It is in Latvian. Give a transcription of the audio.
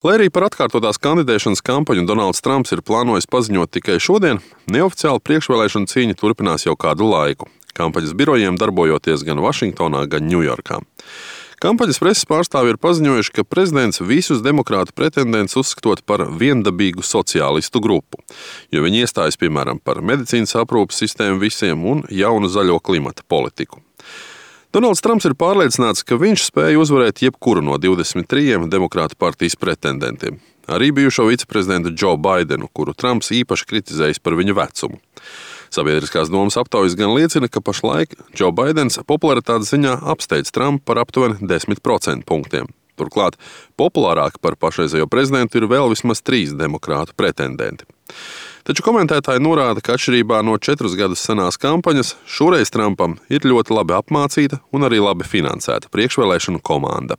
Lai arī par atkārtotās kandidēšanas kampaņu Donalds Trumps ir plānojis paziņot tikai šodien, neoficiāli priekšvēlēšana cīņa turpinās jau kādu laiku, kampaņas birojiem darbojoties gan Vašingtonā, gan Ņujorkā. Kampaņas preses pārstāvji ir paziņojuši, ka prezidents visus demokrātu pretendentus uzskatot par viendabīgu sociālistu grupu, jo viņi iestājas, piemēram, par medicīnas aprūpes sistēmu visiem un jaunu zaļo klimata politiku. Donalds Trumps ir pārliecināts, ka viņš spēja uzvarēt jebkuru no 23 demokrātu partijas pretendentiem, arī bijušo viceprezidentu Joe Bidenu, kuru Trumps īpaši kritizējis par viņa vecumu. Sabiedriskās domas aptaujas gan liecina, ka pašlaik Joe Bidens popularitātes ziņā apsteidz Trumpu par aptuveni 10% punktiem. Turklāt populārāki par pašreizējo prezidentu ir vēl vismaz 3 demokrātu pretendenti. Taču komentētāji norāda, ka atšķirībā no 4 gadus senās kampaņas, šoreiz Trumpam ir ļoti labi apmācīta un arī labi finansēta priekšvēlēšanu komanda.